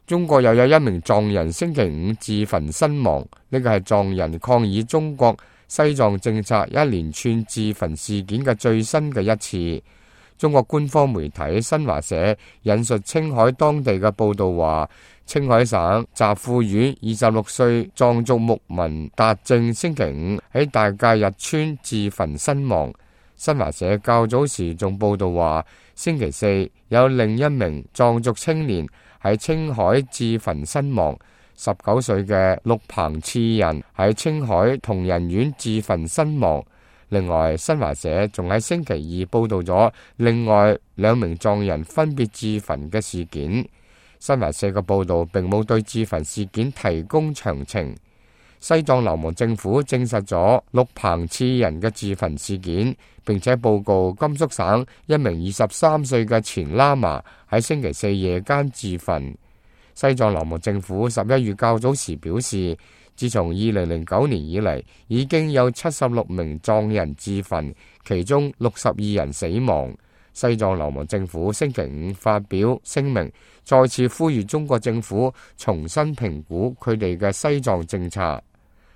中國又有一名藏人星期五自焚身亡，呢個係藏人抗議中國西藏政策一連串自焚事件嘅最新嘅一次。中國官方媒體新華社引述青海當地嘅報道話，青海省集富縣26歲藏族牧民達正星期五喺大界日村自焚身亡。新華社較早時仲報道話，星期四有另一名藏族青年喺青海自焚身亡，19歲嘅陸鵬次人喺青海同仁縣自焚身亡。另外，新華社仲喺星期二報道咗另外2名藏人分別自焚嘅事件。新華社嘅報道並冇對自焚事件提供詳情。西藏流亡政府證實咗陸鵬次人嘅自焚事件，並且報告甘肅省一名23歲嘅前喇嘛喺星期四夜間自焚。西藏流亡政府11月較早時表示，自從2009年以嚟，已經有76名藏人自焚，其中62人死亡。西藏流亡政府星期五發表聲明，再次呼籲中國政府重新評估佢哋嘅西藏政策。